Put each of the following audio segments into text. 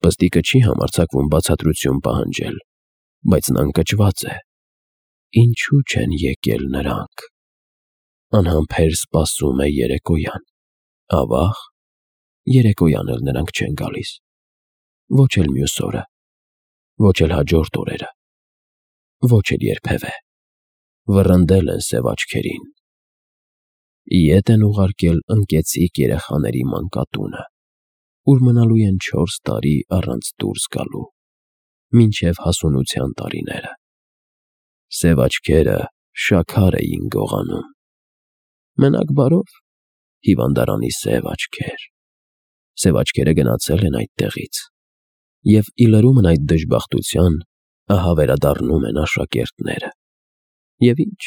Պստիկը չի համարձակվում բացատրություն պահանջել, բայց նա ընկճված է։ Ինչու չեն եկել նրանք։ Անհամբեր սպասում է երեկոյան։ Ավաղ, երեկոյան էլ նրանք չեն գալիս։ Ոչ էլ մյուս օրը, ոչ էլ հաջորդ օրերը, ոչ էլ երբևէ։ Վռնդել են սև աչքերին։ Ետ են ուղարկել ընկեցիկ երեխաների մանկատունը, ուր մնալու են 4 տարի առանց դուրս գալու, մինչև հասունության տարիները։ Սև աչքերը շաքար էին գողանում։ Մենակ բարով, հիվանդարանի սև աչքեր։ Սև աչքերը գնացել են այդտեղից, և ի լրումն այդ դժբախտության, ահա վերադառնում են աշակերտները։ Եվ ինչ,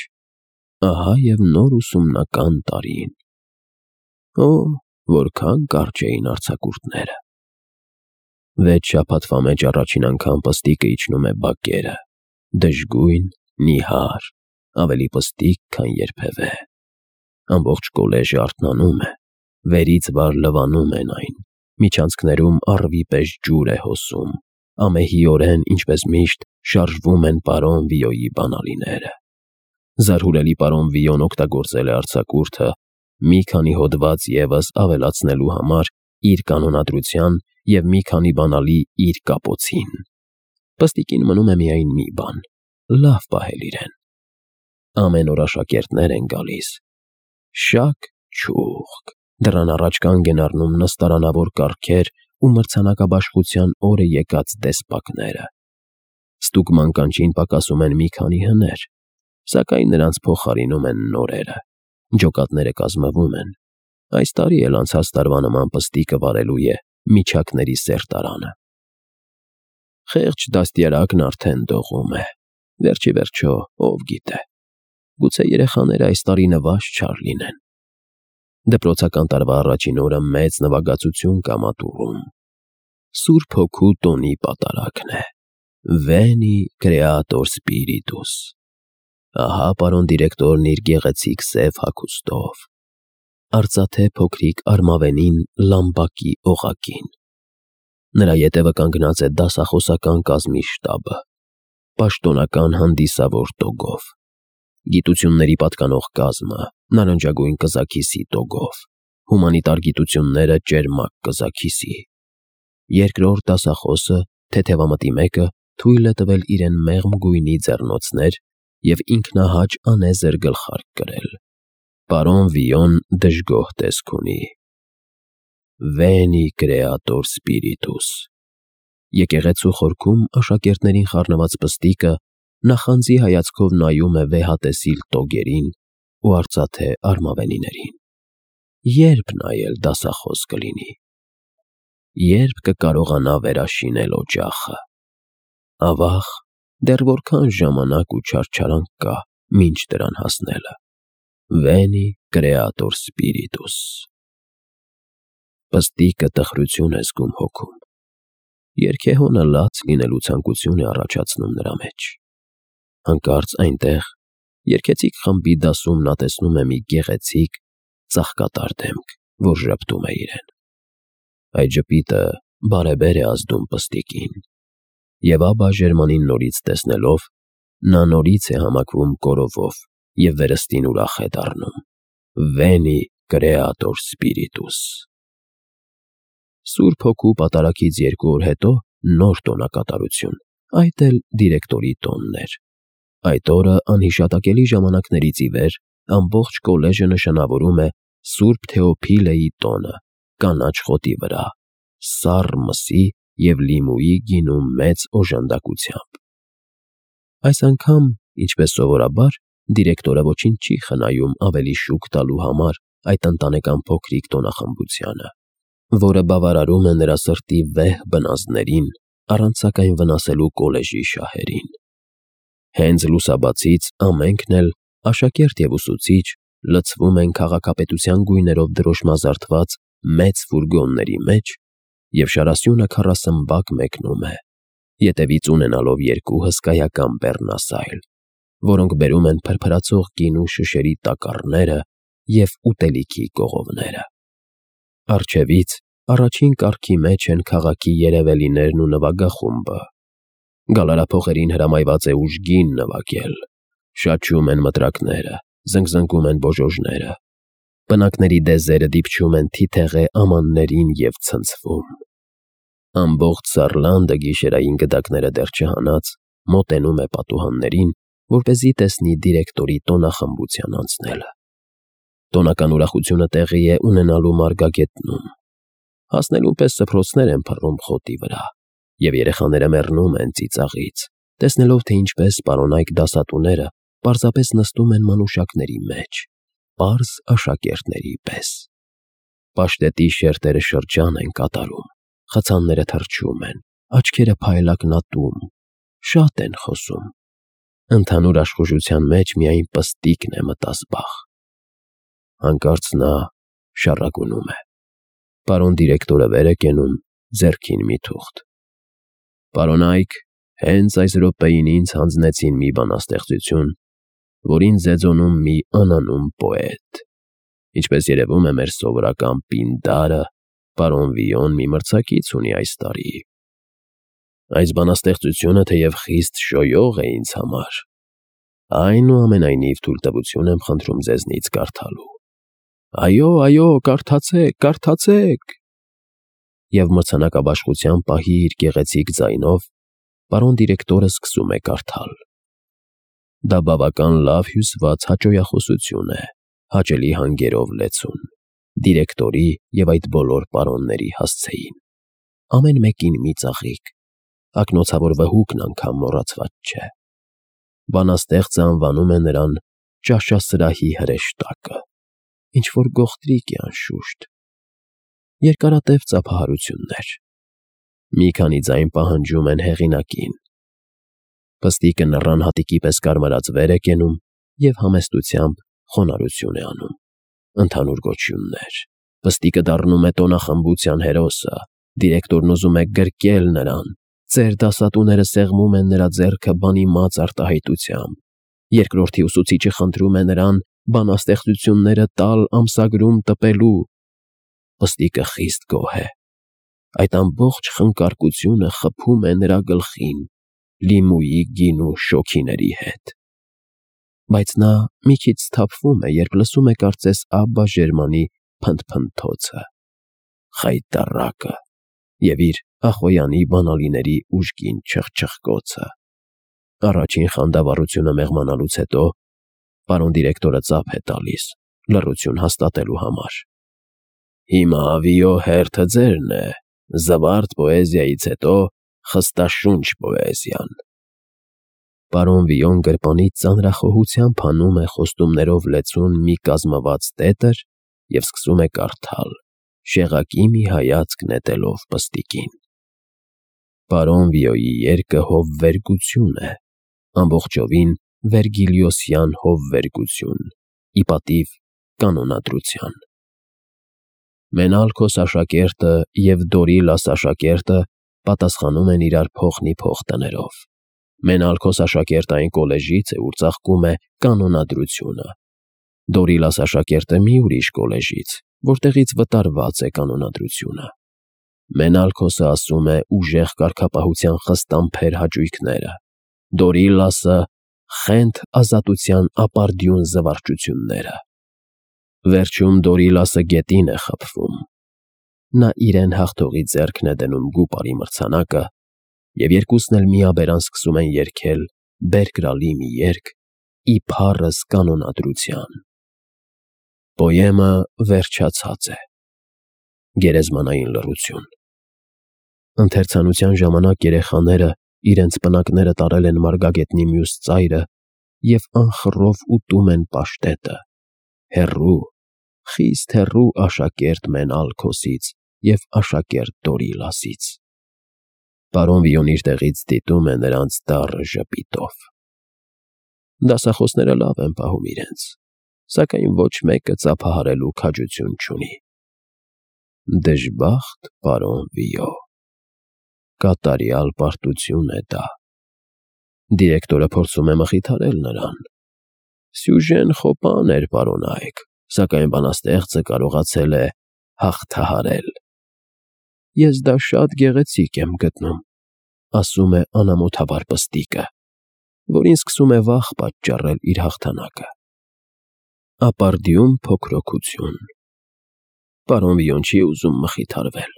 ահա և նոր ուսումնական տարին։ Օ, որքան կարճ էին արձակուրդները։ 6 շաբաթվա մեջ առաջին անգամ պստիկը իջնում է բակերը, դժգույն, նիհար, ավելի պստիկ, քան երբևէ։ Ամբողջ կոլեժը արթնանում է, վերից վար լվանում են այն, միջանցքներում առվի պես ջուր է հոսում, ամեհիորեն, ինչպես միշտ, շարժվում են պարոն Վիոյի բանալիները։ Զարհուրելի պարոն Վիոն օգտագործել է արձակուրդը մի քանի հոդված ևս ավելացնելու համար իր կանոնադրության և մի քանի բանալի իր կապոցին։ Պստիկին մնում է միայն մի բան՝ լավ պահել իրեն։ Ամեն օր աշակերտներ են գալիս։ Շակ չուղք, դռան առաջ կանգ են առնում նստարանավոր կառքեր ու մրցանակաբաշխության օրը եկած դեսպակները։ Ստուգման կանչին պակասում են մի քանի հներ, սակայն նրանց փոխարինում են նորերը։ Ջոկատները կազմվում են։ Այս տարի էլ անցած տարվա նման պստիկը վարելու է միջակների սերտարանը։ Խեղճ դաստիարակն արդեն դողում է։ Վերջ ի վերջո, ով գիտե, գուցե երեխաները այս տարի նվազ չար լինեն։ Դպրոցական տարվա առաջին օրը մեծ նվագածություն կա մատուռում։ Սուրբ Հոգու տոնի պատարագն է։ Veni Creator Spiritus։ Ահա պարոն դիրեկտորն իր գեղեցիկ սև հագուստով, արծաթե փոքրիկ արմավենին լամբակի օղակին։ Նրա ետևը կանգնած է դասախոսական կազմի շտաբը, պաշտոնական հանդիսավոր տոգով, գիտությունների պատկանող կազմը նարնջագույն կզաքիսի տոգով, հումանիտար գիտությունները ճերմակ կզաքիսի։ Երկրորդ դասախոսը, թեթևամտի մեկը, թույլ է տվել իրեն մեղմ գույնի ձեռնոցներ և ինքնահաճ անեզր գլխարկ կրել։ Պարոն Վիոն դժգոհ տեսք ունի։ Veni Creator Spiritus։ Եկեղեցու խորքում աշակերտներին խառնված պստիկը նախանձի հայացքով նայում է վեհատեսիլ տոգերին ու արծաթե արմավենիներին։ Երբ նայել դասախոս կլինի։ Երբ կկարողանա վերաշինել օջախը։ Ավաղ, դեռ որքան ժամանակ ու չարչարանք կա մինչ դրան հասնելը։ Veni Creator Spiritus։ Պստիկը տխրություն է զգում հոգում։ Երգեհոնը լաց լինելու ցանկություն է առաջացնում նրա մեջ։ Հանկարծ այնտեղ, երգեցիկ խմբի դասում նա տեսնում է մի գեղեցիկ, ծաղկատար դեմք, որ ժպտում է իրեն։ Այդ ժպիտը բարեբեր է ազդում պստիկին։ Եվ Աբբա Ժերմանին նորից տեսնելով, նա նորից է համակվում կորովով և վերստին ուրախ է դառնում։ Veni Creator Spiritus։ Սուրբ Հոգու պատարագից 2 օր հետո նոր տոնակատարություն, այդ էլ դիրեկտորի տոնն էր։ Այդ օրը անհիշատակելի ժամանակներից ի վեր ամբողջ կոլեժը նշանավորում է Սուրբ Թեոփիլեի տոնը կանաչ խոտի վրա, սառ մսի և լիմուի գինու մեծ օժանդակությամբ։ Այս անգամ, ինչպես սովորաբար, դիրեկտորը ոչինչ չի խնայում ավելի շուք տալու համար այդ ընտանեկան փոքրիկ տոնախմբությանը, որը բավարարում է նրա սրտի վեհ բնազդներին, առանց սակայն վնասելու կոլեժի շահերին։ Հենց լուսաբացից ամենքն էլ, աշակերտ և ուսուցիչ, լցվում են քաղաքապետության գույներով դրոշմազարդված մեծ ֆուրգոնների մեջ, և շարասյունը քառասմբակ մեկնում է, ետևից ունենալով 2 հսկայական բեռնասայլ, որոնք բերում են փրփրացող գինու շշերի տակառները և ուտելիքի կողովները։ Առջևից առաջին կարգի մեջ են քաղաքի երևելիներն ու նվագախումբը։ Գալարափողերին հրամայված է ուժգին նվագել, շաչում են մտրակները, զնգզնգում են բոժոժները, բնակների դեզերը դիպչում են թիթեղե ամաններին և ցնցվում։ Ամբողջ Սառլանդը գիշերային գդակները դեռ չհանած մոտենում է պատուհաններին, որպեսզի տեսնի դիրեկտորի տոնախմբության անցնելը։ Տոնական ուրախությունը տեղի է ունենալու Մարգագետնում։ Հասնելուն պես սփռոցներ են փռում խոտի վրա, և երեխաները մեռնում են ծիծաղից, տեսնելով, թե ինչպես պարոնայք դասատուները պարզապես նստում են մանուշակների մեջ, պարզ աշակերտների պես։ Պաշտետի շերտերը շրջան են կատարում, խցանները թռչում են, աչքերը փայլակնատում, շատ են խոսում։ Ընդհանուր աշխուժության մեջ միայն Պստիկն է մտազբաղ։ Հանկարծ նա շառագունում է։ Պարոն դիրեկտորը վեր է կենում, ձեռքին մի թուղթ։ Պարոնայք, հենց այս րոպեին ինձ հանձնեցին մի բանաստեղծություն, որին ձեձոնում մի անանուն պոետ։ Ինչպես երևում է, մեր սովորական Պինդարը, պարոն Վիոն մի մրցակից ունի այս տարի։ Այս բանաստեղծությունը թեև խիստ շոյող է ինձ համար, այնուամենայնիվ թույլտվություն եմ խնդրում ձեզնից կարդալու։ Այո, կարդացեք, կարդացեք։ Եվ մրցանակաբաշխության պահի իր գեղեցիկ ձայնով պարոն դիրեկտորը սկսում է կարդալ։ Դա բավական լավ հյուսված հաճոյախոսություն է, հաճելի հանգերով լեցուն, դիրեկտորի և այդ բոլոր պարոնների հասցեին։ Ամեն մեկին մի ծաղիկ, ակնոցավոր վհուկն անգամ մոռացված չէ։ Բանաստեղծը անվանում է նրան ճաշասրահի հրեշտակը, ինչ-որ գողտրիկ է անշուշտ։ Երկարատև ծափահարություններ։ Մի քանի ձայն պահանջում են հեղինակին։ Պստիկը նռան հատիկի պես կարմրած վեր է կենում և համեստությամբ խոնարհություն է անում։ Ընդհանուր գոչյուններ։ Պստիկը դառնում է տոնախմբության հերոսը, դիրեկտորն ուզում է գրկել նրան, ծեր դասատուները սեղմում են նրա ձեռքը բանիմաց արտահայտությամբ, երկրորդի ուսուցիչը խնդրում է նրան բանաստեղծությունները տալ ամսագրում տպելու։ Պստիկը խիստ գոհ է։ Այդ ամբողջ խնկարկությունը խփում է նրա գլխին լիմուի գինու շոգիների հետ։ Բայց նա մի քիչ սթափվում է, երբ լսում է կարծես Աբբա Ժերմանի փնթփնթոցը, խայտառակը և իր Ախոյանի բանալիների ուժգին չխչխկոցը։ Առաջին խանդավառությունը մեղմանալուց հետո պարոն դիրեկտորը ծափ է տալիս, լռություն հաստատելու համար։ Հիմա Վիո հերթը ձերն է, զվարթ պոեզիայից հետո խստաշունչ պոեզիան։ Պարոն Վիոն գրպանից ծանրախոհությամբ հանում է խոստումներով լեցուն մի կազմված տետր և սկսում է կարդալ, շեղակի մի հայացք նետելով Պստիկին։ Պարոն Վիոյի երգը հովվերգություն է, ամբողջովին վերգիլիոսյան հովվերգություն, ի պատիվ կանոնադրության։ Մենալքոս աշակերտը և Դորիլաս աշակերտը պատասխանում են իրար փոխնի փոխ տներով։ Մենալքոս աշակերտը այն կոլեժից է, ուր ծաղկում է կանոնադրությունը, Դորիլաս աշակերտը մի ուրիշ կոլեժից, որտեղից վտարված է կանոնադրությունը։ Մենալքոսը ասում է ուժեղ կարգապահության խստամփեր հաճույքները, Դորիլասը խենթ ազատության ապարդյուն զվարճությունները։ Վերջում Դորիլասը գետին է խփվում։ Նա իրեն հաղթողի ձեռքն է դնում գուպարի մրցանակը, և երկուսն էլ միաբերան սկսում են երգել բերկրալի մի երգ ի փառս կանոնադրության։ Պոեմը վերջացած է։ Գերեզմանային լռություն։ Ընթերցանության ժամանակ երեխաները իրենց պնակները տարել են Մարգագետնի մյուս ծայրը և անխռով ուտում են պաշտետը, հեռու, խիստ հեռու աշակերտ Մենալքոսից և աշակերտ Դորիլասից։ Պարոն Վիոն իր տեղից դիտում է նրանց դառը ժպիտով։ Դասախոսները լավ են պահում իրենց, սակայն ոչ մեկը ծափահարելու քաջություն չունի։ Դժբախտ պարոն Վիո։ Կատարյալ պարտություն է դա։ Դիրեկտորը փորձում է մխիթարել նրան։ Սյուժեն խոպան էր, պարոնայք, սակայն բանաստեղծը կարողացել է հաղթահարել։ Ես դա շատ գեղեցիկ եմ գտնում, ասում է անամոթաբար պստիկը, որին սկսում է վախ պատճառել իր հաղթանակը։ Ապարդյուն փոքրոքություն։ Պարոն Վիոն չի ուզում մխիթարվել։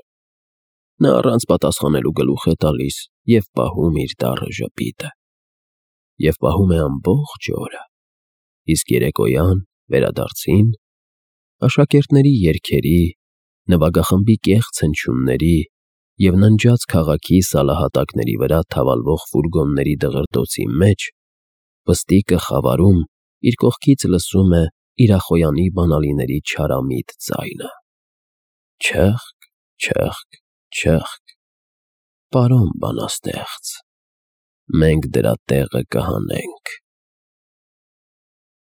Նա առանց պատասխանելու գլուխ է տալիս և պահում իր դառը ժպիտը։ Եվ պահում է ամբողջ օրը, իսկ երեկոյան վերադարձին աշակերտների երգերի, նվագախմբի կեղծ հնչյունների և ննջած քաղաքի սալահատակների վրա թավալվող ֆուրգոնների դղրդոցի մեջ պստիկը խավարում իր կողքից լսում է իրախոյանի բանալիների չարամիտ ձայնը. չըխկ, չըխկ, չըխկ, պարոն բանաստեղծ, մենք դրա տեղը կհանենք։